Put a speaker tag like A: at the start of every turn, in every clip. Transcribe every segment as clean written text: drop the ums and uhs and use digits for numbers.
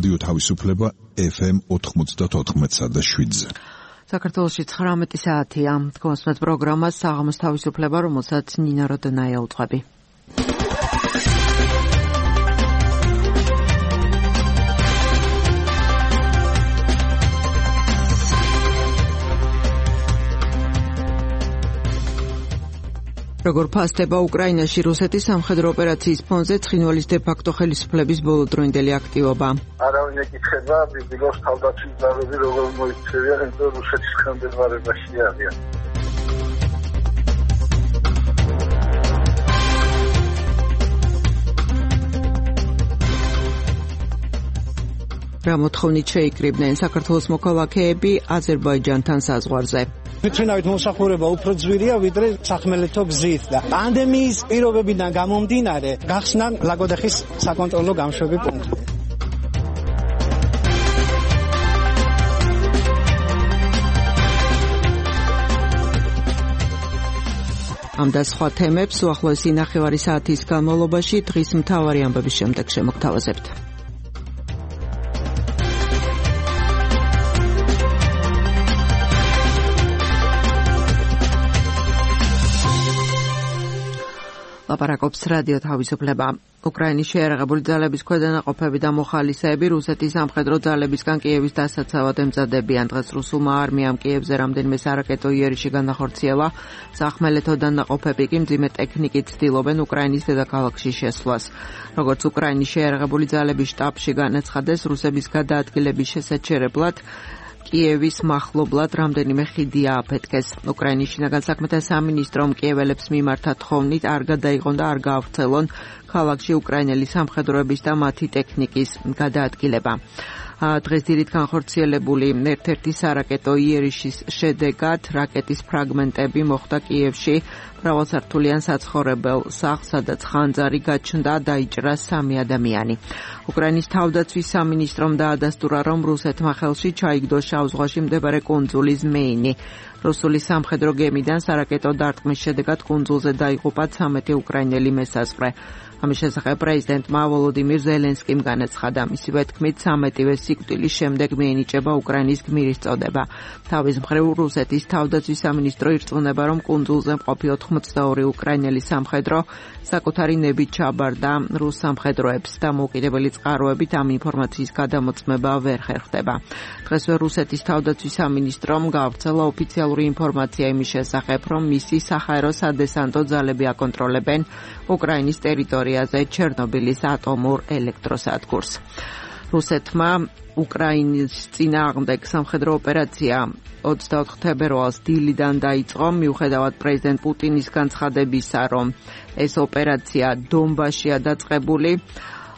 A: რადიო თავისუფლება FM 94.7-ზე.
B: საქართველოში 19 საათია. თქვენს პროგრამას საღამოს თავისუფლება, რომელსაც ნინა როდონაია უძღვები. როგორ ფასდება უკრაინაში რუსეთის სამხედრო ოპერაციის ფონზე ცხინვალის დე-ფაქტო ხელისუფლების ბოლოდროინდელი აქტივობა?
C: არავინ ეკითხება, ბიბილოს თავდაცვის ძალები როგორ მოიქცევიან, იმიტომ რუსეთის ხელმძღვანელობაში არიან.
B: რა მოთხოვნით შეიკრიბნენ საქართველოს მოქალაქეები აზერბაიჯანთან საზღვარზე?
D: ვიტყვინავთ მოსახურება უფრო ძვირია ვიდრე სახმელეთო გზით და პანდემიის პირობებიდან გამომდინარე გახსნა ლაგოდეხის საკონტროლო გამშვები პუნქტი.
B: ამ და სხვა თემებს უახლოესი ნახევარი საათის განმავლობაში დღის მთავარი ამბების შემდეგ შემოგთავაზებთ. ლაპარაკობს რადიო თავისუფლება. უკრაინის შეიარაღებული ძალების ქვედანაყოფები და მოხალისეები რუსეთის სამხედრო ძალებისგან კიევის დასაცავად ემზადებიან. დღეს რუსულმა არმიამ კიევზე რამდენიმე სარაკეტო იერიში განახორციელა. სახმელეთო დანაყოფები კი მძიმე ტექნიკით ცდილობენ უკრაინის დედაქალაქში შესვლას. როგორც უკრაინის შეიარაღებული ძალების შტაბში განაცხადეს, რუსების გადაადგილების შესაჩერებლად კიევის მახლობლად რამდენიმე ხიდი ააფეთქეს. უკრაინის შინაგან საქმეთა სამინისტრომ კიეველებს მიმართა თხოვნით არ გადაიღონ და არ გაავრცელონ ქალაქში უკრაინელი სამხედროების და მათი ტექნიკის გადაადგილება. დღეს დილით განხორციელებული ერთ-ერთი სარაკეტო იერიშის შედეგად რაკეტის ფრაგმენტები მოხვდა კიევში მრავალსართულიან საცხოვრებელ სახლს, სადაც ხანძარი გაჩნდა, დაიჭრა 3 ადამიანი. უკრაინის თავდაცვის სამინისტრომ დაადასტურა, რომ რუსეთმა ხელში ჩაიგდო შავ ზღვაში მდებარე კუნძული ზმეინი. რუსული სამხედრო გემიდან სარაკეტო დარტყმის შედეგად კუნძულზე დაიღუპა 13 უკრაინელი მოსაზღვრე. ამის შესახებ პრეზიდენტმა ვოლოდიმირ ზელენსკიმ განაცხადა. მისივე თქმით, 13-ვე სიკვდილის შემდეგ მიენიჭება უკრაინის გმირის წოდება. თავის მხრივ რუსეთის თავდაცვის სამინისტრო ირწმუნება, რომ კუნძულზე მყოფი 82 უკრაინელი სამხედრო საკუთარი ნებით ჩაბარდა რუს სამხედროებს და მოუკიდებელი წყაროებით ამ ინფორმაციის გადამოწმება ვერ ხერხდება. დღესვე რუსეთის თავდაცვის სამინისტრომ გაავრცელა ოფიციალური ინფორმაცია იმის შესახებ, რომ მისი საჰაერო სადესანტო ძალები აკონტროლებენ უკრაინის ტერიტორიაზე ჩერნობილის ატომურ ელექტროსადგურს. რუსეთმა უკრაინის წინააღმდეგ სამხედრო ოპერაცია 24 თებერვალს დილიდან დაიწყო, მიუხედავად პრეზიდენტ პუტინის განცხადებისა, რომ ეს ოპერაცია დონბასშია დაწყებული.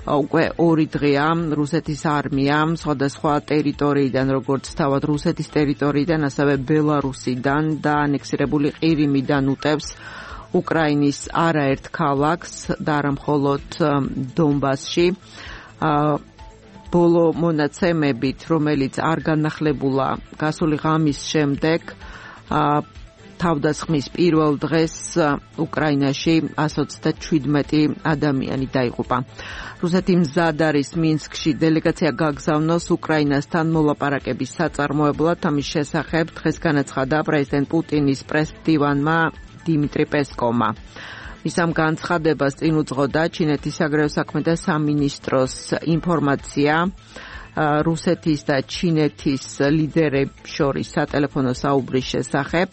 B: უკვე 2 დღეა რუსეთის არმიამ სხვადასხვა ტერიტორიიდან, როგორც თავად რუსეთის ტერიტორიიდან, ასევე ბელარუსიდან და ანექსირებული ყირიმიდან უტევს უკრაინის არაერთ ქალაქს და არა მხოლოდ დონბასში. ბოლო მონაცემებით, რომელიც არ განახლებულა გასული ღამის შემდეგ, თავდასხმის პირველ დღეს უკრაინაში 127 ადამიანი დაიღუპა. რუსეთი მზად არის მინსკში დელეგაცია გაგზავნოს უკრაინასთან მოლაპარაკების საწარმოებლად. ამის შესახებ დღეს განაცხადა პრეზიდენტ პუტინის პრესმდივანმა დიმიტრი პესკოვმა. მის ამ განცხადებას წინ უძღოდა ჩინეთის საგარეო საქმეთა სამინისტროს ინფორმაცია რუსეთის და ჩინეთის ლიდერებს შორის სატელეფონო საუბრის შესახებ.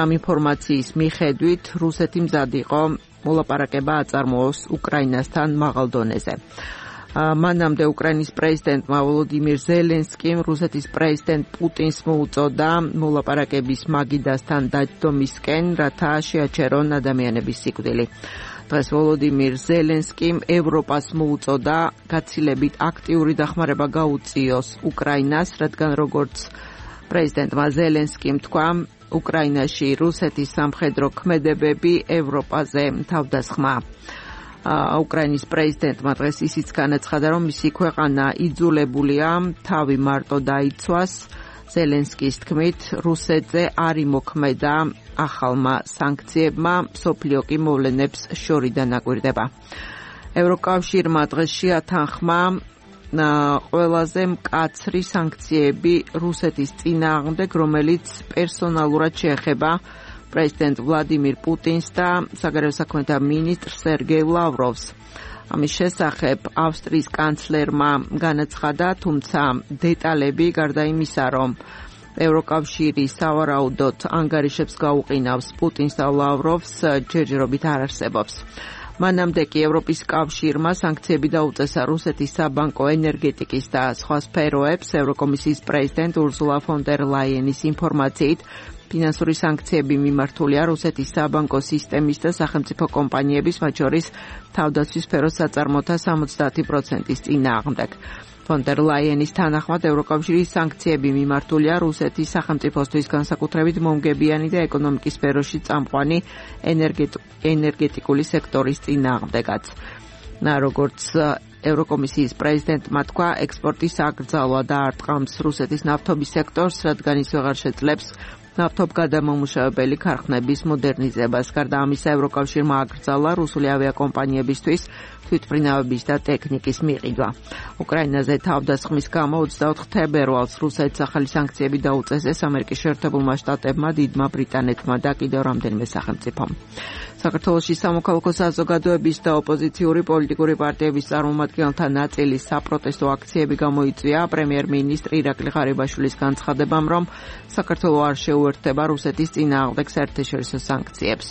B: ამ ინფორმაციის მიხედვით რუსეთი მზად იყო მოლაპარაკება აწარმოოს უკრაინასთან მაღალ დონეზე. მანამდე უკრაინის პრეზიდენტმა ვოლოდიმირ ზელენსკიმ რუსეთის პრეზიდენტ პუტინს მოუწოდა მოლაპარაკების მაგიდასთან დაჯდომისკენ, რათა შეაჩერონ ადამიანების სიკვდილი. დღეს ვოლოდიმირ ზელენსკიმ ევროპას მოუწოდა გაცილებით აქტიური დახმარება გაუწიოს უკრაინას, რადგან როგორც პრეზიდენტმა ზელენსკიმ თქვა, უკრაინაში რუსეთის სამხედრო ქმედებები ევროპაზე თავდასხმაა. უკრაინის პრეზიდენტმა დღეს ისიც განაცხადა, რომ მისი ქვეყანა იძულებულია თავი მარტო დაიცვას. ზელენსკის თქმით, რუსეთზე არ იმოქმედა ახალმა სანქციებმა, მსოფლიო კი მოვლენებს შორიდან აკვირდება. ევროკავშირმა დღეს შეათანხმა ყველაზე მკაცრი სანქციები რუსეთის წინააღმდეგ, რომელიც პერსონალურად შეეხება პრეზიდენტ ვლადიმირ პუტინს და საგარეო საქმეთა მინისტრ სერგეი ლავროვს. ამის შესახებ ავსტრიის კანცლერმა განაცხადა, თუმცა დეტალები გარდა იმისა, რომ ევროკავშირი სავარაუდოდ ანგარიშებს გაუყინავს პუტინს და ლავროვს, ჯერჯერობით არ არსებობს. მანამდე კი ევროპის კავშირმა სანქციები დაუწესა რუსეთის საბანკო, ენერგეტიკის და სხვა სფეროებს. ევროკომისიის პრეზიდენტ ურსულა ფონ დერ ლაიენის ინფორმაციით, ფინანსური სანქციები მიმართულია რუსეთის საბანკო სისტემის და სახელმწიფო კომპანიების, მათ შორის თავდაცვის სფეროს საწარმოთა 70%-ის წინააღმდეგ. ფონ დერ ლაიენის თანახმად ევროკავშირის სანქციები მიმართულია რუსეთის სახელმწიფოსთვის განსაკუთრებით მომგებიანი და ეკონომიკის სფეროში წამყვანი ენერგეტიკული სექტორის წინააღმდეგაც. როგორც ევროკომისიის პრეზიდენტმა თქვა, ექსპორტის აკრძალვა და არტყამს რუსეთის ნავთობის სექტორს, რადგან ის ვეღარ შეძლებს ნავთობგადამამუშავებელი ქარხნების მოდერნიზებას. გარდა ამისა, ევროკავშირმა აკრძალა რუსული ავიაკომპანიებისთვის თვითმფრინავების და ტექნიკის მიყიდვა. უკრაინაზე თავდასხმის გამო 24 თებერვალს რუსეთს ახალი სანქციები დაუწესეს ამერიკის შეერთებულმა შტატებმა, დიდმა ბრიტანეთმა და კიდევ რამდენიმე სახელმწიფომ. საქართველოში სამოქალაქო საზოგადოების და ოპოზიციური პოლიტიკური პარტიების წარმომადგენელთა ნაწილის საპროტესტო აქციები გამოიწვია პრემიერ-მინისტრ ირაკლი ღარიბაშვილის განცხადებამ, რომ საქართველო არ შეუერთდება რუსეთის წინააღმდეგ საერთაშორისო სანქციებს.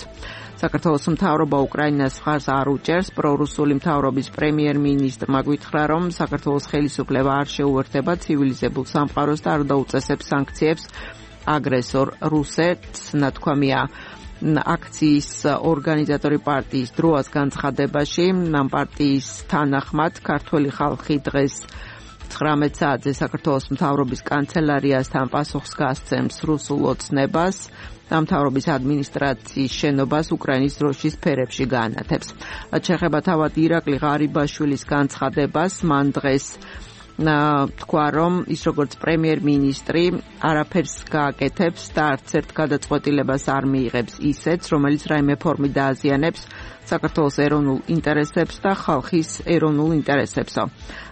B: საქართველოს მთავრობა უკრაინას მხარს არ უჭერს. პრორუსული მთავრობის პრემიერ-მინისტრმა გვითხრა, რომ საქართველოს ხელისუფლება არ შეუერთდება ცივილიზებულ სამყაროს და არ დაუწესებს სანქციებს აგრესორ რუსეთს. ნათქვამია აქციის ორგანიზატორი პარტიის დროას განცხადებაში. ამ პარტიის თანახმად ქართველი ხალხი დღეს 19 საათზე საქართველოს მთავრობის კანცელარიასთან პასუხს გასცემს რუსულ ოცნებას და მთავრობის ადმინისტრაციის შენობას უკრაინის დროშის ფერებში გაანათებს. რაც შეეხება თავად ირაკლი ღარიბაშვილის განცხადებას, მან დღეს თქვა, რომ ის როგორც პრემიერ-მინისტრი არაფერს გააკეთებს და არც ერთ გადაწყვეტილებას არ მიიღებს ისეც, რომელიც რაიმე ფორმით დააზიანებს საქართველოს ეროვნულ ინტერესებს და ხალხის ეროვნულ ინტერესებსო.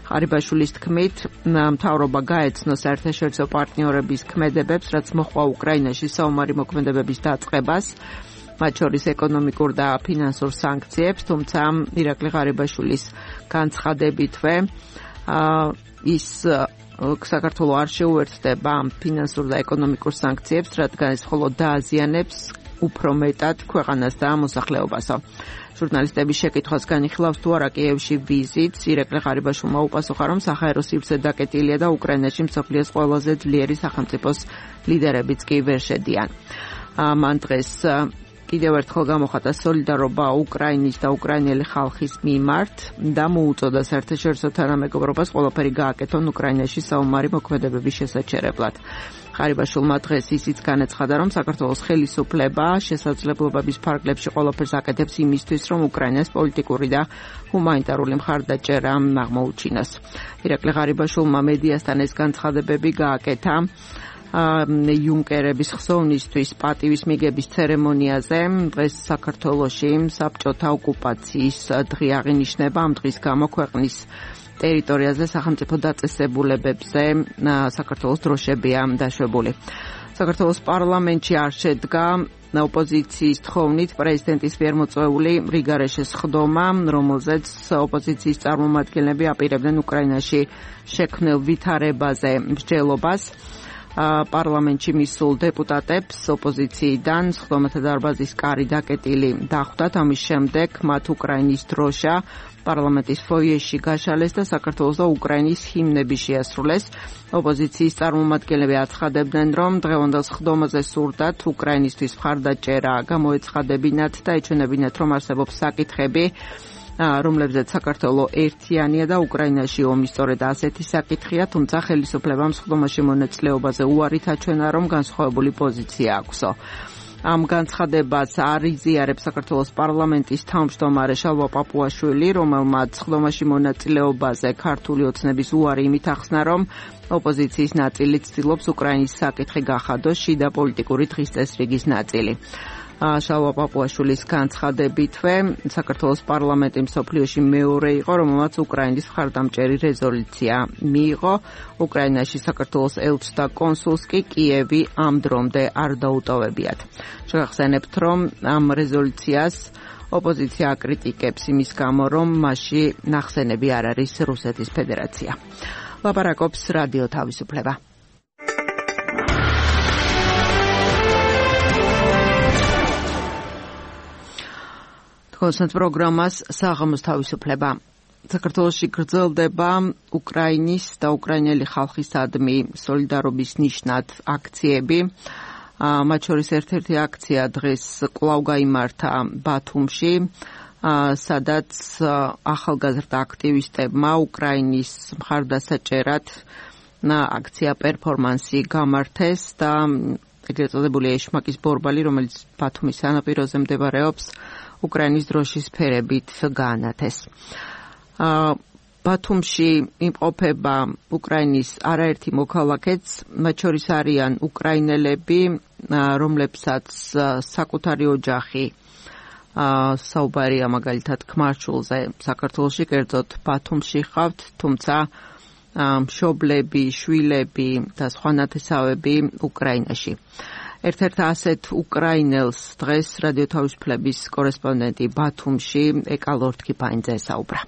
B: ღარიბაშვილის თქმით, მთავრობა გაეცნო საერთაშორისო პარტნიორების ქმედებებს, რაც მოჰყვა უკრაინაში საომარი მოქმედებების დაწყებას, მათ შორის ეკონომიკურ და ფინანსურ სანქციებს, თუმცა ირაკლი ღარიბაშვილის განცხადებითვე ის საქართველო არ შეუერთდება ფინანსურ და ეკონომიკურ სანქციებს, რადგან ეს მხოლოდ დააზიანებს უფრო მეტად ქვეყანას და მოსახლეობასო. ჟურნალისტების შეკითხვას განიხილავს თუ არა კიევში ვიზიტს, ირაკლი ღარიბაშვილმა უპასუხა, რომ საჰაერო სივრცე დაკეტილია და უკრაინაში მსოფლიოს ყველაზე ძლიერი სახელმწიფოს ლიდერებიც კი ვერ შედიან. მან დღეს კიდევ ერთხელ გამოხატა სოლიდარობა უკრაინის და უკრაინელი ხალხის მიმართ და მოუწოდა საერთაშორისო თანამეგობრობას ყველაფერი გააკეთონ უკრაინაში საომარი მოქმედებების შესაჩერებლად. ღარიბაშვილმა დღეს ისიც განაცხადა, რომ საქართველოს ხელისუფლება შესაძლებლობების ფარგლებში ყველაფერს აკეთებს იმისთვის, რომ უკრაინას პოლიტიკური და ჰუმანიტარული მხარდაჭერა აღმოუჩინოს. ირაკლი ღარიბაშვილმა მედიასთან ეს განცხადებები გააკეთა იუნკერების ხსოვნისთვის პატივის მიგების ცერემონიაზე. დღეს საქართველოში საბჭოთა ოკუპაციის დღე აღინიშნება. ამ დღის გამო ქვეყნის ტერიტორიაზე სახელმწიფო დაწესებულებებზე საქართველოს დროშებია დაშვებული. საქართველოს პარლამენტში არ შედგა ოპოზიციის თხოვნით პრეზიდენტის მიერ მოწვეული რიგარეშეს ხდომა, რომელზეც ოპოზიციის წარმომადგენლები აპირებდნენ უკრაინაში შექმნილ ვითარებაზე მსჯელობას. პარლამენტში მისულ დეპუტატებს ოპოზიციიდან სხდომათა დარბაზის კარი დაკეტილი დახვდათ. ამის შემდეგ მათ უკრაინის დროშა პარლამენტის ფოიეში გაშალეს და საქართველოს და უკრაინის ჰიმნები შეასრულეს. ოპოზიციის წარმომადგენლები აცხადებდნენ, რომ დღევანდელ სხდომაზე სურდათ უკრაინისთვის მხარდაჭერა გამოეცხადებინათ და ეჩვენებინათ, რომ არსებობს საკითხები, რომლებზეც საქართველო ერთიანია და უკრაინაში ომი სწორედ ასეთი საკითხია, თუმცა ხელისუფლებამ სხდომაში მონაწილეობაზე უარით აჩვენა, რომ განსხვავებული პოზიცია აქვსო. ამ განცხადებას არ იზიარებს საქართველოს პარლამენტის თავმჯდომარე შალვა პაპუაშვილი, რომელმაც სხდომაში მონაწილეობაზე ქართული ოცნების უარი იმით ახსნა, რომ ოპოზიციის ნაწილი ცდილობს უკრაინის საკითხი გახადოს შიდა პოლიტიკური დღის წესრიგის ნაწილი. შალვა პაპუაშვილის განცხადებითვე საქართველოს პარლამენტი მსოფლიოში მეორე იყო, რომელმაც უკრაინის მხარდამჭერი რეზოლუცია მიიღო. უკრაინაში საქართველოს ელჩს და კონსულს კი კიევი ამ დრომდე არ დაუტოვებიათ. შეგახსენებთ, რომ ამ რეზოლუციას ოპოზიცია აკრიტიკებს იმის გამო, რომ მასში ნახსენები არ არის რუსეთის ფედერაცია. ლაპარაკობს რადიო თავისუფლება. კონსტანტ პროგრამას საღამოს თავისუფლება. საქართველოში გრძელდება უკრაინის და უკრაინელი ხალხისადმი სოლიდარობის ნიშნად აქციები. მათ შორის ერთ-ერთი აქცია დღეს კვლავ გაიმართა ბათუმში, სადაც ახალგაზრდა აქტივისტებმა უკრაინის მხარდასაჭერად აქცია პერფორმანსი გამართეს და ეგრეთ წოდებული ეშმაკის ბორბალი, რომელიც ბათუმის სანაპიროზე მდებარეობს, უკრაინის დროშის ფერებით გაანათეს. ბათუმში იმყოფება უკრაინის არაერთი მოქალაქეც, მათ შორის არიან უკრაინელები, რომლებსაც საკუთარი ოჯახი საუბარია მაგალითად ქმარჩულზე საქართველოში, კერძოდ ბათუმში ხავთ, თუმცა მშობლები, შვილები და სხვა ნათესავები უკრაინაში. ერთ-ერთ ასეთ უკრაინელს დღეს რადიო თავისუფლების კორესპონდენტი ბათუმში ეკა ლორთქიფაინძე საუბრა.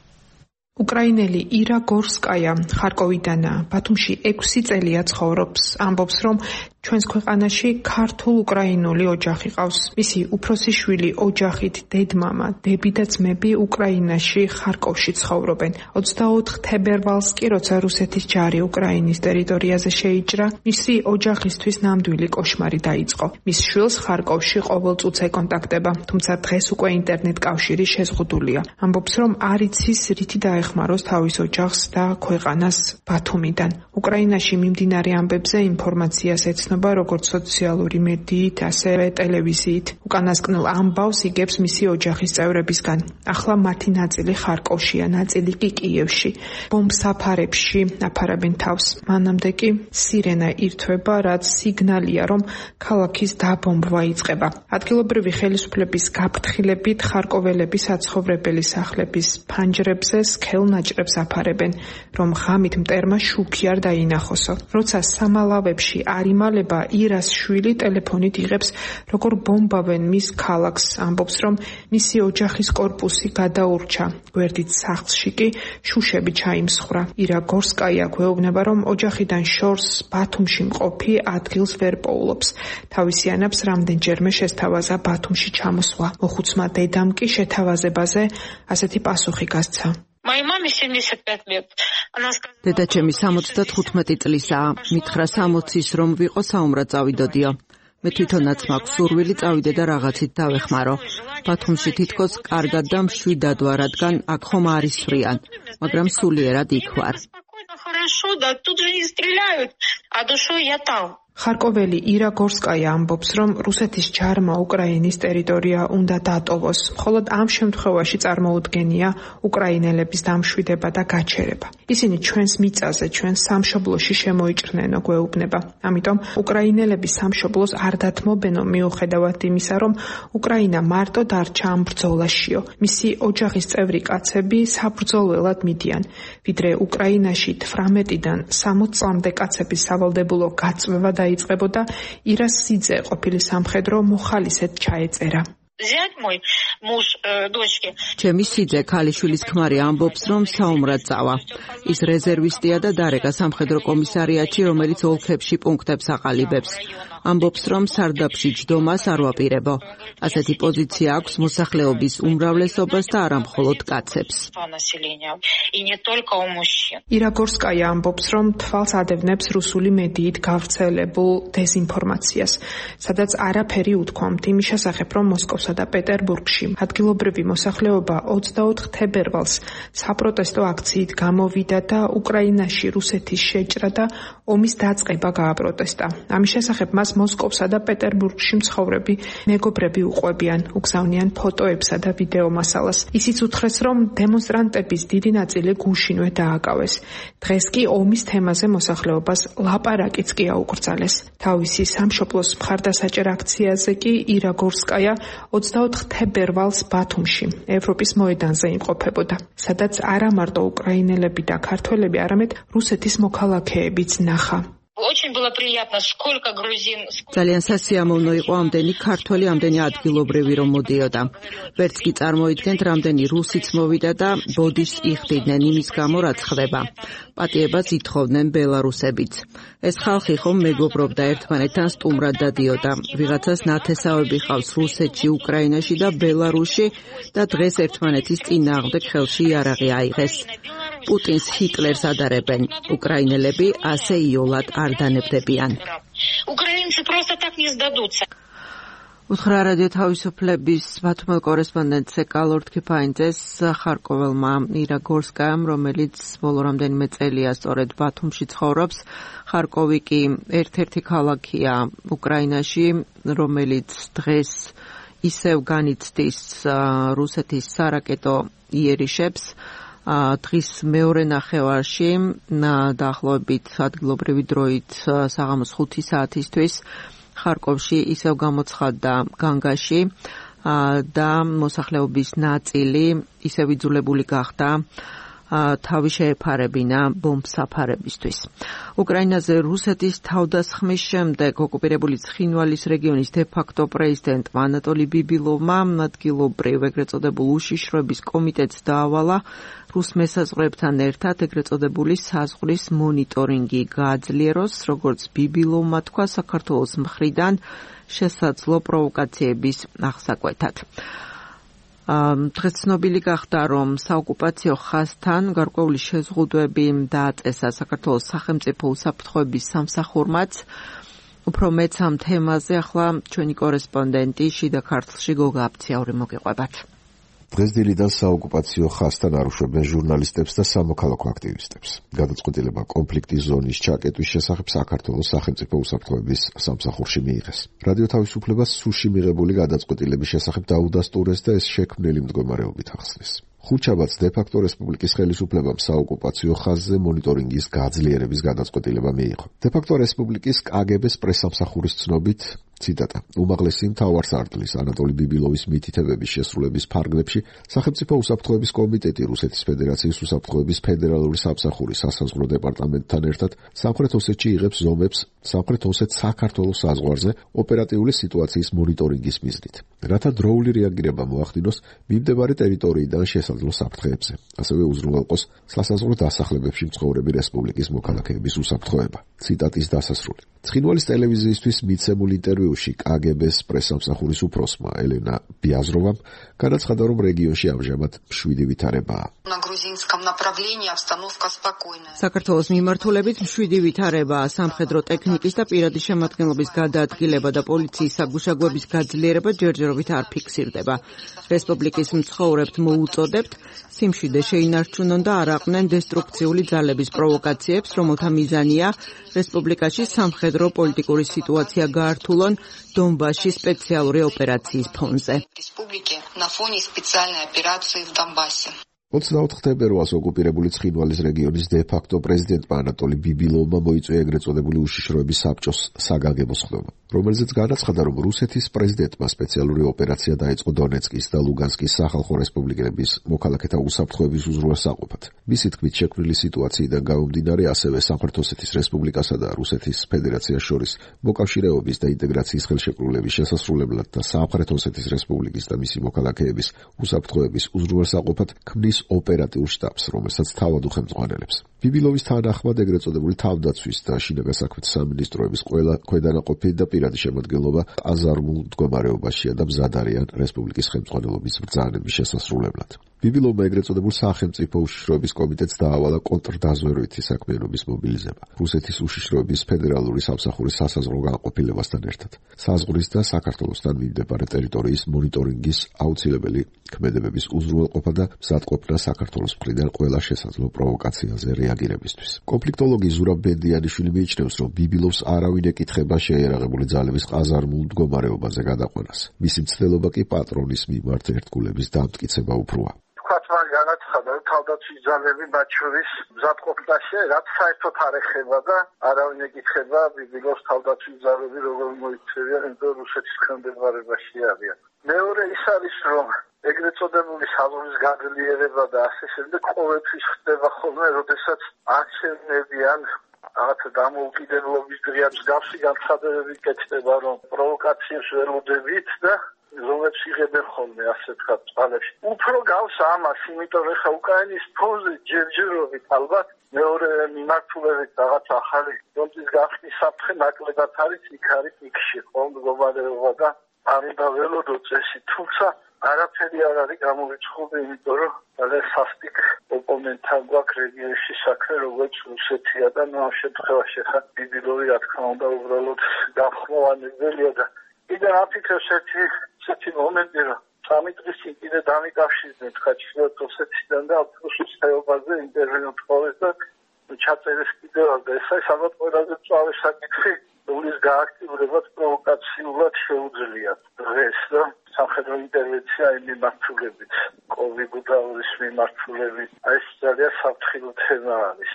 E: უკრაინელი ირა გორსკაია ხარკოვიდანაა. ბათუმში 6 წელია ცხოვრობს. ამბობს, რომ ჩვენს ქვეყანაში ქართულ-უკრაინული ოჯახი ყავს. მისი უფროსი შვილი ოჯახით დედმამა, დები და ძმები უკრაინაში ხარკოვში ცხოვრობენ. 24 თებერვალს კი, როცა რუსეთის ჯარი უკრაინის ტერიტორიაზე შეიჭრა, მისი ოჯახისთვის ნამდვილი კოშმარი დაიწყო. მის შვილს ხარკოვში ყოველწუთ ეკონტაქტება, თუმცა დღეს უკვე ინტერნეტ კავშირი შეზღუდულია. ამბობს, რომ არ იცის რითი დაეხმაროს თავის ოჯახს და ქვეყანას ბათუმიდან. უკრაინაში მიმდინარე ამბებზე ინფორმაციას ეცნობა როგორც სოციალური მედიით, ასევე ტელევიზიით. უკანასკნელ ამბავს იგებს მისი ოჯახის წევრებისგან. ახლა მათი ნაწილი ხარკოვშია, ნაწილი კი კიევში. ბომბსაფარებში აფარებენ თავს. მანამდე კი სირენა ირთვება, რაც სიგნალია, რომ ქალაქის დაბომბვა იწყება. ადგილობრივი ხელისუფლების გაფრთხილებით ხარკოველები საცხოვრებელი სახლების ფანჯრებზე სქელ ნაჭრებს აფარებენ, რომ ღამით მტერმა შუქი არ დაინახოსო. როცა სამალავებში არ იმალება, ირას შვილი ტელეფონით იღებს, როგორ ბომბავენ მის ქალაქს. ამბობს, რომ მისი ოჯახის კორპუსი გადაურჩა. გვერდით სახლში კი შუშები ჩაიმსხვრა. ირა გორსკაია გვეუბნება, რომ ოჯახიდან შორს ბათუმში მყოფი ადგილს ვერ პოულობს. თავისი ანაბს რამდენჯერმე შესთავაზა ბათუმში ჩამოსვლა. მოხუცმა დედამ კი შეთავაზებაზე ასეთი პასუხი გასცა.
B: დედაჩემი 75 წლისაა. მითხრა 60-ის რომ ვიყო საომრად წავიდოდიო. მე თვითონაც მაქვს სურვილი წავიდე და რაღაცით დავეხმარო. ბათუმში თითქოს კარგად და მშვიდად ვარ, რადგან აქ ხომ არ ისვრიან, მაგრამ სულიერად იქ ვარ.
E: ხარკოველი ირა გორსკაია ამბობს, რომ რუსეთის ჯარმა უკრაინის ტერიტორია უნდა დატოვოს. მხოლოდ ამ შემთხვევაში წარმოუდგენია უკრაინელების დამშვიდება და გაჩერება. ისინი ჩვენს მიწაზე, ჩვენს სამშობლოში შემოიჭრნენო, გვეუბნება. ამიტომ უკრაინელების სამშობლოს არ დათმობენო, მიუხედავად იმისა, რომ უკრაინა მარტო დარჩა ამ ბრძოლაშიო. მისი ოჯახის წევრი კაცები საბრძოლველად მიდიან. ვიდრე უკრაინაში 18-დან 60 წლამდე კაცების სავალდებულო გაწვევა დაიწყებოდა, ირას სიძე ყოფილი სამხედრო მოხალისედ ჩაეწერა.
B: ჩემი სიძე ქალიშვილის ქმარი ამბობს, რომ საომრად წავა. ის რეზერვისტია და დარეკა სამხედრო კომისარიატში, რომელიც ოლქებში პუნქტებს აყალიბებს. ამბობს, რომ სარდაფში ჯდომას არ ვაპირებო. ასეთი პოზიცია აქვს მოსახლეობის უმრავლესობას და არა მხოლოდ კაცებს.
E: ირა გორსკაია ამბობს, რომ თვალს ადევნებს რუსული მედიით გავრცელებულ დეზინფორმაციას, სადაც არაფერი უთქვამთ იმის შესახებ, რომ მოსკოვსა და პეტერბურგში ადგილობრივი მოსახლეობა 24 თებერვალს საპროტესტო აქციით გამოვიდა და უკრაინაში რუსეთის შეჭრა და ომის დაწყება გააპროტესტა. ამის შესახებ მას მოსკოვსა და პეტერბურგში მცხოვრები მეგობრები უყვებიან, უგზავნიან ფოტოებსა და ვიდეო მასალას. ისიც უთხრეს, რომ დემონსტრანტების დიდი ნაწილი გუშინვე დააკავეს. დღეს კი ომის თემაზე მოსახლეობას ლაპარაკიც კი აუკრძალეს. თავისი სამშობლოს მხარდასაჭერ აქციაზე კი ირა გორსკაია 24 თებერვალს ბათუმში, ევროპის მოედანზე იმყოფებოდა, სადაც არა მარტო უკრაინელები და ქართველები, არამედ რუსეთის მოქალაქეებიც ნახა.
B: ძალიან სასიამოვნო იყო ამდენი ქართველი, ამდენი ადგილობრივი რომ მოდიოდა. ვერც კი წარმოიდგენთ, რამდენი რუსიც მოვიდა და ბოდიშს იხდიდნენ იმის გამო, რაც ხდება. პატიებას ითხოვდნენ ბელარუსებიც. ეს ხალხი ხომ მეგობრობდა ერთმანეთთან, სტუმრად დადიოდა. ვიღაცას ნათესავები ყავს რუსეთში, უკრაინაში და ბელარუსში და დღეს ერთმანეთის წინააღმდეგ ხელში იარაღი აიღეს. პუტინს ჰიტლერს ადარებენ. უკრაინელები ასე იოლად არ დანებდებიან. უთხრა რადიო თავისუფლების ბათუმელ კორესპონდენტზე კალორდ ქიფაინძეს ხარკოველმა ირა გორსკაიამ, რომელიც ბოლო რამდენიმე წელია სწორედ ბათუმში ცხოვრობს. ხარკოვი კი ერთ-ერთი ქალაქია უკრაინაში, რომელიც დღეს ისევ განიცდის რუსეთის სარაკეტო იერიშებს. დღის მეორე ნახევარში დაახლოებით ადგილობრივი დროით საღამოს 5 საათისთვის ხარკოვში ისევ გამოცხადდა განგაში და მოსახლეობის ნაწილი ისევ იძულებული გახდა თავი შეეფარებინა ბომბსაფარებისთვის. უკრაინაზე რუსეთის თავდასხმის შემდეგ ოკუპირებული ცხინვალის რეგიონის დე-ფაქტო პრეზიდენტმა ანატოლი ბიბილოვმა ადგილობრივ ეგრეთ წოდებულ უშიშროების კომიტეტს დაავალა რუს მესაზღვრეებთან ერთად ეგრეთ წოდებული საზღვრის მონიტორინგი გააძლიეროს, როგორც ბიბილოვმა თქვა, საქართველოს მხრიდან შესაძლო პროვოკაციების აღსაკვეთად. დღეს ცნობილი გახდა, რომ საოკუპაციო ხაზთან გარკვეული შეზღუდვები დააწესა საქართველოს სახელმწიფო უსაფრთხოების სამსახურმაც. უფრო მეც ამ თემაზე ახლა ჩვენი კორესპონდენტი შიდა ქართლში გოგა აფციური მოგიყვებათ.
F: დღესდილიდან საოკუპაციო ხაზთან არ უშვებენ ჟურნალისტებს და სამოქალაქო აქტივისტებს. გადაწყვეტილება კონფლიქტის ზონის ჩაკეტვის შესახებ საქართველოს სახელმწიფო უსაფრთხოების სამსახურში მიიღეს. რადიო თავისუფლებას სუში მიღებული გადაწყვეტილების შესახებ დაუდასტურეს და ეს შექმნილი მდგომარეობით ახსნეს. ხუთშაბათს დე-ფაქტო რესპუბლიკის ხელისუფლებამ საოკუპაციო ხაზზე მონიტორინგის გაძლიერების გადაწყვეტილება მიიღო. დე-ფაქტო რესპუბლიკის კგბ-ს პრესსამსახურის ცნობით, ციტატა, უმაღლესი მთავარსარდლის ანატოლი ბიბილოვის მითითებების შესრულების ფარგლებში სახელმწიფო უსაფრთხოების კომიტეტი რუსეთის ფედერაციის უსაფრთხოების ფედერალური სამსახურის სასაზღვრო დეპარტამენტთან ერთად სამხრეთ ოსეთში იღებს ზომებს სამხრეთ ოსეთ-საქართველოს საზღვარზე ოპერატიული სიტუაციის მონიტორინგის მიზნით, რათა დროული რეაგირება მოახდინოს მიმდებარე ტერიტორიიდან შესაძლო საფრთხეებზე. ასევე უზრუნველყოს სასაზღვრო დასახლებებში მცხოვრები რესპუბლიკის მოქალაქეების უსაფრთხოება. ციტატის დასასრული. ცხინვალის ტელევიზიისთვის მიცემულ ინტერვიუში კგბ-ს პრესსამსახურის უფროსმა ელენა ბიაზროვამ განაცხადა, რომ რეგიონში ამჟამად მშვიდი ვითარებაა.
B: საქართველოს მიმართულებით მშვიდი ვითარებაა, სამხედრო ტექნიკის და პირადი შემადგენლობის გადაადგილება და პოლიციის საგუშაგოების გაძლიერება ჯერჯერობით არ ფიქსირდება. რესპუბლიკის მცხოვრებთ მოუწოდებთ სიმშვიდე შეინარჩუნონ და არ აყნენ დესტრუქციული ძალების პროვოკაციებს, რომელთა მიზანია რესპუბლიკაში სამხედრო პოლიტიკური სიტუაცია გაართულონ დონბასში სპეციალური ოპერაციის ფონზე.
F: 24 თებერვალს ოკუპირებული ცხინვალის რეგიონის დე-ფაქტო პრეზიდენტმა ანატოლი ბიბილოვმა მოიწვია ეგრეთ წოდებული უშიშროების საბჭოს საგანგებო სხდომა, რომელზეც განაცხადა, რომ რუსეთის პრეზიდენტმა სპეციალური ოპერაცია დაიწყო დონეცკის და ლუგანსკის სახალხო რესპუბლიკების მოქალაქეთა უსაფრთხოების უზრუნველსაყოფად. მისი თქმით, შექმნილი სიტუაციიდან გამომდინარე, ასევე სამხრეთ ოსეთის რესპუბლიკასა და რუსეთის ფედერაციას შორის მოკავშირეობის და ინტეგრაციის ხელშეკრულების შესასრულებლად და სამხრეთ ოსეთის რესპუბლიკის და მისი მოქალაქეების უსაფრთხოების უზრუნველსაყოფად ქმნის ოპერატიულ შტაბს, რომელსაც თავად უხელმძღვანელებს. ბიბილოვის თანახმად ეგრეთ წოდებული თავდაცვის და შინაგან საქმეთა სამინისტროების ყველა ქვედანაყოფი და პირადი შემადგენლობა აზარმულ მდგომარეობაშია და მზად არიან რესპუბლიკის ხელმძღვანელობის ბრძანების შესასრულებლად. ბიბილოვმა ეგრეთ წოდებულ სახელმწიფო უშიშროების კომიტეტს დაავალა კონტრდაზვერვითი საქმიანობის მობილიზება რუსეთის უშიშროების ფედერალური სამსახურის სასაზღვრო განყოფილებასთან ერთად. საზღვრის და საქართველოსთან მიმდებარე ტერიტორიის მონიტორინგის აუცილებელი ქმედებების უზრუნველყოფა და მზადყოფნა დაეუფლა საქართველოს მხრიდან ყველა შესაძლო პროვოკაციაზე რეაგირებისთვის. კონფლიქტოლოგი ზურაბ ბენდიანიშვილი მიიჩნევს, რომ ბიბილოვს არავინ ეკითხება შეიარაღებული ძალების ყაზარმულ მდგომარეობაზე გადაყვანას. მისი მცდელობა კი პატრონის მიმართ ერთგულების დამტკიცება უფროა.
C: განაცხადა, რომ თავდაცვის ძალები მათ შორის მზადყოფნაში რაც საერთოდ არ ეხება და არავინ ეკითხება ბიბილოვს თავდაცვის ძალები როგორ მოიქცევიან, იმიტომ რუსეთის ხმდებარებაში არიან. მეორე ის არის, რომ ეგრეთ წოდებული საზღვრის გაძლიერება და ასე შემდეგ ყოველთვის ხდება ხოლმე, როდესაც აქცენტებიან რაღაცა დამოუკიდებლობის დღეა მსგავსი განცხადებები კეთდება, რომ პროვოკაციებს ველოდებით და რომლებიც იღებენ ხოლმე ასე ვთქვათ წყალებში. უფრო გავს ამას, იმიტომ რომ ხა უკრაინის ფონზე ჯერჯერობით ალბათ მეორე მიმართულებით რაღაც ახალი ფონდის გახსნის საფრთხე ნაკლებად არის იქ იქში ხოლმე მდგომარეობა და არიდა ველოდო წესი, თუმცა არაფერი არ არის გამორიცხული, იმიტომ რომ ძალიან სასტიკ ოპონენტთან გვაქვს რეგიონში საქმე, როგორც რუსეთია და ამ შემთხვევაში ხა ბიბილოვი რა თქმა უნდა უბრალოდ გახმოვანებელია და კიდე აფიქრებს ერთი მომენტი, რომ სამი დღის წინ კიდე დამიკავშირდნენ ჩრდილოეთ ოსეთიდან და ავტობუსის ხეობაზე ინტერვიუ თხოვეს და ჩაწერეს კიდევ და ეს ალბათ ყველაზე მწვავე საკითხი, რომლის გააქტიურებაც პროვოკაციულად შეუძლიათ დღეს და სამხედრო ინტერვენცია იმ მიმართულებით, კოვიდურის მიმართულებით, ეს ძალიან საფრთხილო თემა არის.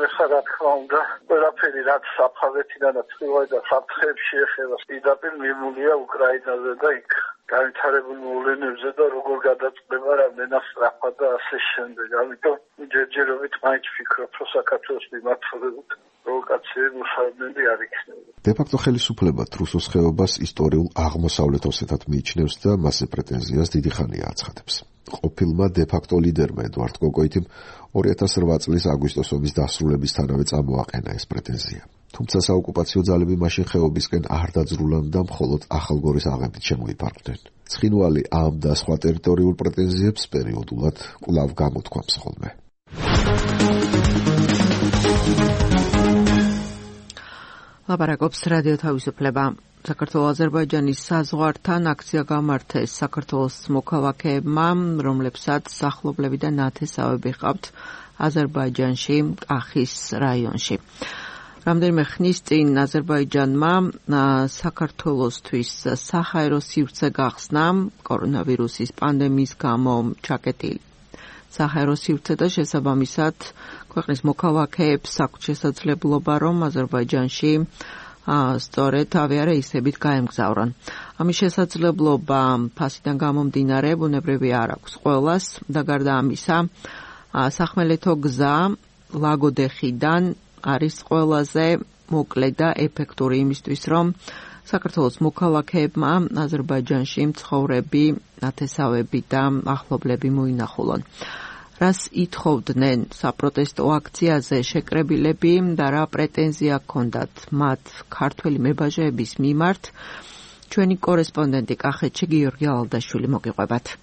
C: ეხლა რა თქმა უნდა, ყველაფერი რაც საფრთხეთიდან და წვიდა საფრთხეებში ეხება, პირდაპირ მიმულია უკრაინაზე და იქ განვითარებულ მოვლენებზე და როგორ გადაწყდება რამდენად სწრაფად და ასე შემდეგ. ამიტომ ჯერჯერობით მაინც ვფიქრობ, რომ საქართველოს მიმართულებით პროვოკაციები მუშაობები არ იქნება.
F: დე-ფაქტო ხელისუფლება რუსოს ხეობას ისტორიულ აღმოსავლეთ ოსეთად მიიჩნევს და მასზე პრეტენზიას დიდი ხანია აცხადებს. ყოფილმა დე-ფაქტო ლიდერმა ედვარდ კოკოიტიმ 2008 წლის აგვისტოს ომის დასრულებისთანავე წამოაყენა ეს პრეტენზია. თუმცა საოკუპაციო ძალები მაშინ ხეობისკენ არ დაძრულან და მხოლოდ ახალგორის აღებით შემოიფარგლნენ. ცხინვალი ამ და სხვა ტერიტორიულ პრეტენზიებს პერიოდულად კვლავ გამოთქვამს ხოლმე.
B: ლაპარაკობს რადიო თავისუფლება. საქართველოს-აზერბაიჯანის საზღვართან აქცია გამართეს საქართველოს მოქალაქეებმა, რომლებსაც სახლობლები და ნათესავები ჰყავთ აზერბაიჯანში, კახის რაიონში. რამდენიმე ხნის წინ აზერბაიჯანმა საქართველოსთვის საჰაერო სივრცე გახსნა კორონავირუსის პანდემიის გამო ჩაკეტილი საჰაერო სივრცე და შესაბამისად ქვეყნის მოქალაქეებს აქვს შესაძლებლობა, რომ აზერბაიჯანში სწორედ ავიარეისებით გაემგზავრონ. ამის შესაძლებლობა ფასიდან გამომდინარე ბუნებრივი არ აქვს ყველას და გარდა ამისა, სახმელეთო გზა ლაგოდეხიდან არის ყველაზე მოკლე და ეფექტური იმისთვის, რომ საქართველოს მოქალაქეებმა აზერბაიჯანში მცხოვრები ნათესავები და ახლობლები მოინახულონ. რას ითხოვდნენ საპროტესტო აქციაზე შეკრებილები და რა პრეტენზია ჰქონდათ მათ ქართველი მებაჟეების მიმართ, ჩვენი კორესპონდენტი კახეთში გიორგი ალდაშვილი მოგიყვებათ.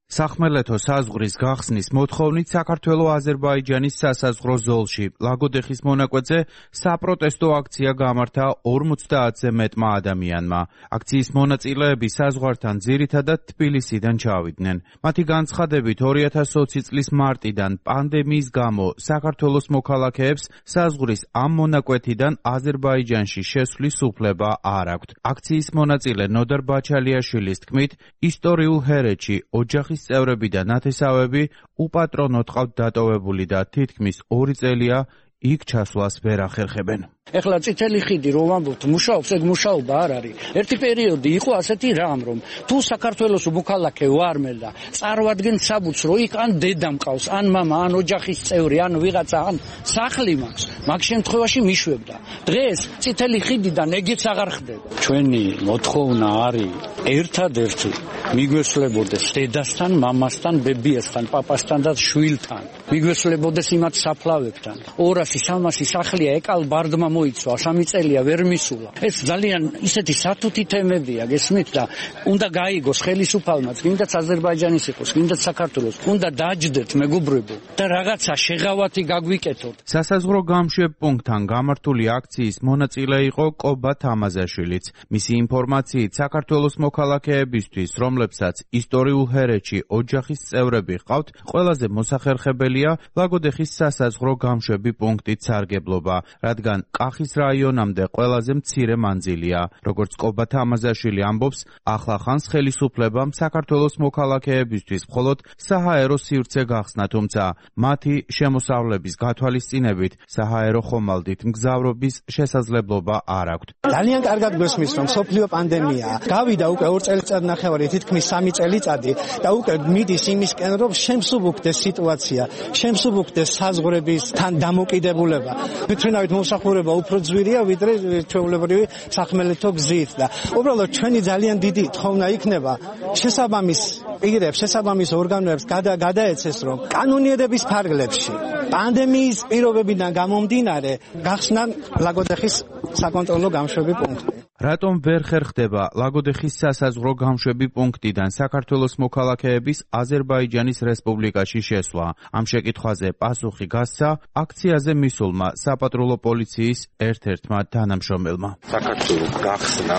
G: სახმელეთო საზღვრის გახსნის მოთხოვნით საქართველო-აზერბაიჯანის სასაზღვრო ზოლში ლაგოდეხის მონაკვეთზე საპროტესტო აქცია გამართა 50-ზე მეტმა ადამიანმა. აქციის მონაწილეები საზღვართან ძირითადად თბილისიდან ჩავიდნენ. მათი განცხადებით 2020 წლის მარტიდან პანდემიის გამო საქართველოს მოქალაქეებს საზღვრის ამ მონაკვეთიდან აზერბაიჯანში შესვლის უფლება არ აქვთ. აქციის მონაწილე ნოდარ ბაჩალიაშვილის თქმით, ისტორიულ ჰერეთში ოჯახის წევრები და ნათესავები უპატრონოდ ყავთ დატოვებული და თითქმის 2 წელია იქ ჩასვლას ვერ ახერხებენ.
H: ეხლა წითელი ხიდი რომ ვამბობთ მუშაობს, ეგ მუშაობა არ არის. ერთი პერიოდი იყო ასეთი რამ, რომ თუ საქართველოს მოქალაქე ვარ მე და წარვადგენ საბუთს, რომ იქ ან დედა მყავს, ან მამა, ან ოჯახის წევრი, ან ვიღაცა, ან სახლი მაქვს, მაგ შემთხვევაში მიშვებდა. დღეს წითელი ხიდიდან ეგეც აღარ ხდება. ჩვენი მოთხოვნა არის ერთადერთი მიგვესლებოდეს დედასთან, მამასთან, ბებიასთან, პაპასთან და შვილთან. მიგვესვლებოდეს იმათ საფლავებთან. 200-300 სახლია ეკალ ბარდმა მოიცვა, 3 წელია ვერ მისულა. ეს ძალიან ისეთი სათუთი თემებია, გესმით და უნდა გაიგოს ხელისუფალმაც, გინდაც აზერბაიჯანის იყოს, გინდაც საქართველოს, უნდა დაჯდეთ მეგობრებო და რაღაცა შეღავათი გაგვიკეთოთ.
G: სასაზღვრო გამშვებ პუნქტთან გამართული აქციის მონაწილე იყო კობა თამაზაშვილიც. მისი ინფორმაციით საქართველოს მოქალაქეებისთვის, რომლებსაც ისტორიულ ჰერეთში ოჯახის წევრები ჰყავთ, ყველაზე მოსახერხებელია ლაგოდეხის სასაზღვრო გამშვები პუნქტით სარგებლობა, რადგან კახის რაიონამდე ყველაზე მცირე მანძილია. როგორც კობა თამაზაშვილი ამბობს, ახლახანს ხელისუფლებამ საქართველოს მოქალაქეებისთვის მხოლოდ საჰაერო სივრცე გახსნა, თუმცა მათი შემოსავლების გათვალისწინებით საჰაერო ხომალდით მგზავრობის შესაძლებლობა არ აქვთ.
D: ძალიან კარგად გვესმის, რომ სოფლიო პანდემიაა. გავიდა უკვე 2 წელიწადნახევარი, თითქმის 3 წელიწადი და უკვე მიდის იმისკენ, რომ შემსუბუქდეს სიტუაცია, შემსუბუქდეს საზღვრებისთან დამოკიდებულება. თვითმფრინავით მომსახურება უფრო ძვირია, ვიდრე ჩვეულებრივი სახმელეთო გზით და უბრალოდ ჩვენი ძალიან დიდი თხოვნა იქნება შესაბამის პირებს, შესაბამის ორგანოებს გადაეცეს, რომ კანონიერების ფარგლებში პანდემიის პირობებიდან გამომდინარე გახსნან ლაგოდეხის საკონტროლო გამშვები პუნქტი.
G: რატომ ვერ ხერხდება ლაგოდეხის სასაზღვრო გამშვები პუნქტიდან საქართველოს მოქალაქეების აზერბაიჯანის რესპუბლიკაში შესვლა? ამ შეკითხვაზე პასუხი გასცა აქციაზე მისულმა საპატრულო პოლიციის ერთ-ერთმა თანამშრომელმა.
I: საქართველოს გახსნა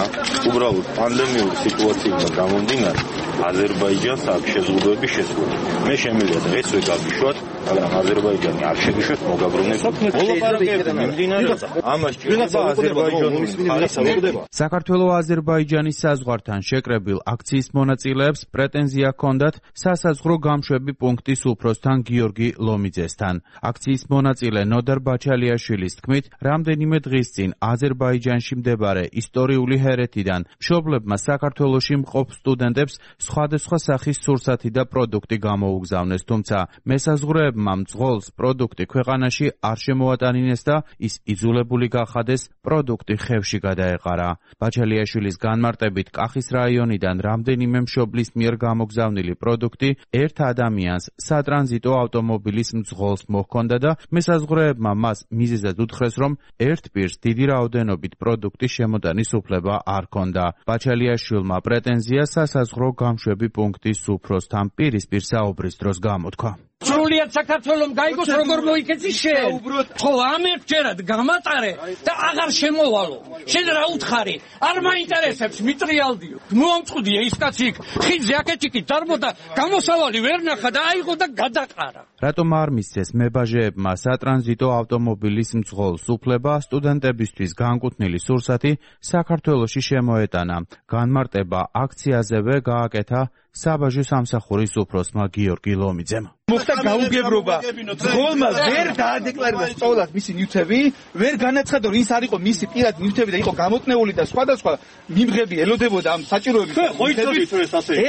I: უბრალოდ პანდემიური სიტუაციიდან გამომდინარე აზერბაიჯანს აქვს შეზღუდვები შესრულებული. მე შემიძლია დღესვე გავიშვათ, მაგრამ აზერბაიჯანი არ შეგიშვათ მოგაბრუნებს. მოლაპარაკებები მიმდინარეობს. ამას ჭირდება აზერბაიჯანის ხალხი.
G: საქართველოს აზერბაიჯანის საზღვართან შეკრებილ აქციის მონაწილეებს პრეტენზია ჰქონდათ სასაზღვრო გამშვები პუნქტის უფროსთან გიორგი ლომიძესთან. აქციის მონაწილე ნოდარ ბაჩალიაშვილის თქმით, რამდენიმე დღის წინ აზერბაიჯანში მდებარე ისტორიული ჰერეთიდან მშობლებმა საქართველოში მყოფ სტუდენტებს სხვადასხვა სახის სურსათი და პროდუქტი გამოუგზავნეს, თუმცა მესაზღვრეებმა მძღოლს პროდუქტი ქვეყანაში არ შემოატანინეს და ის იძულებული გახადეს პროდუქტი ხევში გადაეყარა. ბაჩალიაშვილის განმარტებით, კახის რაიონიდან რამდენიმე მშობლის მიერ გამოგზავნილი პროდუქტი ერთ ადამიანს სატრანზიტო ავტომობილის მძღოლს მოჰქონდა და მესაზღვრეებმა მას მიზეზად უთხრეს, რომ ერთ პირს დიდი რაოდენობით პროდუქტის შემოტანის უფლება არ ჰქონდა. ბაჩალიაშვილმა პრეტენზია სასაზღვრო გამშვები პუნქტის უფროსთან პირისპირ საუბრის დროს გამოთქვა.
H: სრულიად საქართველოს გაიგოს როგორ მოიქეცი შენ. ხო ამერჯერად გამატარე და აღარ შემოვალო. შენ რა უთხარი? არ მაინტერესებს მიტრიალდიო. მომწყვდია ის კაცი იქ ხიდზე აკეთიკით დარბოდა, გამოსავალი ვერ ნახა და აიღო და გადაყარა.
G: რატომ არ მისცეს მებაჟეებმა სატრანზიტო ავტომობილის მძღოლს უფლება სტუდენტებისთვის განკუთვნილი სურსათი საქართველოში შემოეტანა? განმარტება აქციაზევე გააკეთა საბაჟო სამსახურის უფროსმა გიორგი ლომიძემ.
J: მოხდა გაუგებრობა. მძღოლმა ვერ დაადეკლარირა სწავლად მისი ნივთები, ვერ განაცხადა, ის არ იყო მისი პირადი ნივთები და იყო გამოტნეული და სხვადასხვა მიმღები ელოდებოდა ამ საჭიროების.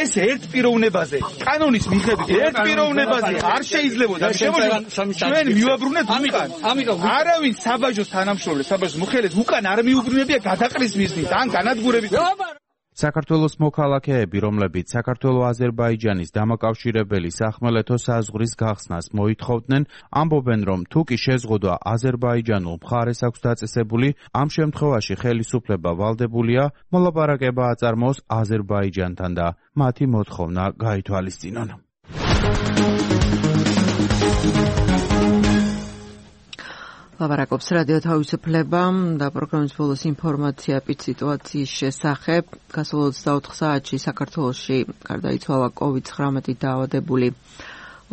J: ეს ერთ პიროვნებაზე, კანონის მიხედვით ერთ პიროვნებაზე არ შეიძლებოდა ჩვენ მივაბრუნეთ უკან. არავინ საბაჟოს თანამშრომლებს, საბაჟოს მოხელეს უკან არ მიუბრუნებია გადაყრის მიზნით ან განადგურებით.
G: საქართველოს მოქალაქეები, რომლებიც საქართველო-აზერბაიჯანის დამაკავშირებელი სახმელეთო საზღვრის გახსნას მოითხოვდნენ, ამბობენ, რომ თუ კი შეზღუდვა აზერბაიჯანულ მხარეს აქვს დაწესებული, ამ შემთხვევაში ხელისუფლება ვალდებულია მოლაპარაკება აწარმოოს აზერბაიჯანთან და მათი მოთხოვნა გაითვალისწინონ.
B: ლაპარაკობს რადიო თავისუფლება და პროგრამის ბოლოს ინფორმაცია პით სიტუაციის შესახებ. გასულ 24 საათში საქართველოში გარდაიცვალა COVID-19 დაავადებული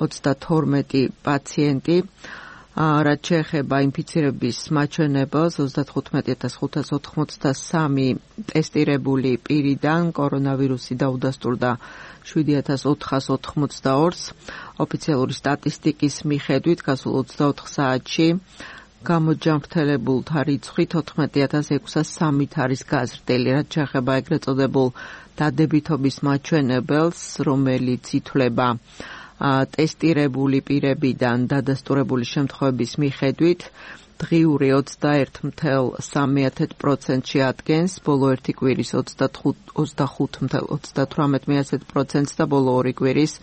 B: 32 პაციენტი. რაც შეეხება ინფიცირების მაჩვენებელს, 35583 ტესტირებული პირიდან კორონავირუსი დაუდასტურდა 7482-ს. ოფიციალური სტატისტიკის მიხედვით გასულ 24 საათში გამოჯანმრთელებულთა რიცხვი 14603 არის გაზრდილი, რაც შეეხება ეგრეთ წოდებულ დადებითობის მაჩვენებელს, რომელიც ითვლება ტესტირებული პირებიდან დადასტურებული შემთხვევების მიხედვით დღიური 21.3%-ში ადგენს, ბოლო ერთი კვირის 25.38%-ს და ბოლო ორი კვირის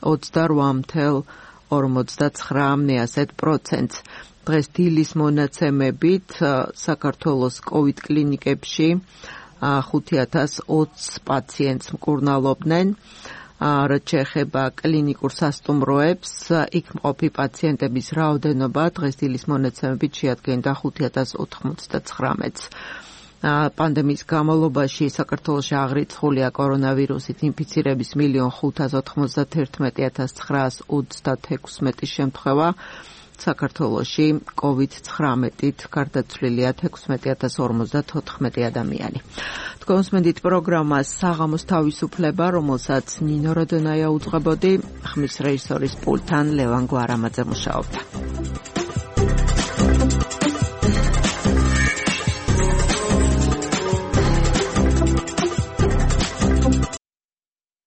B: 28.2%-ს. 49%. დღეს დილის მონაცემებით საქართველოს COVID კლინიკებში 5020 პაციენტს მკურნალობდნენ. რაც შეეხება კლინიკურ სასტუმროებს, იქ მყოფი პაციენტების რაოდენობა დღეს დილის მონაცემებით შეადგენდა 5099-ს. პანდემიის განმავლობაში საქართველოში აღრიცხულია კორონავირუსით ინფიცირების 1,591,936 შემთხვევა. საქართველოში COVID-19-ით გარდაცვლილია 16054 ადამიანი. თქვენს მენდით პროგრამას საღამოს თავისუფლება, რომელსაც ნინო როდონაია უძღვებოდი, ხმის რეჟისორის პულტთან ლევან გვარამაძე მუშაობდა.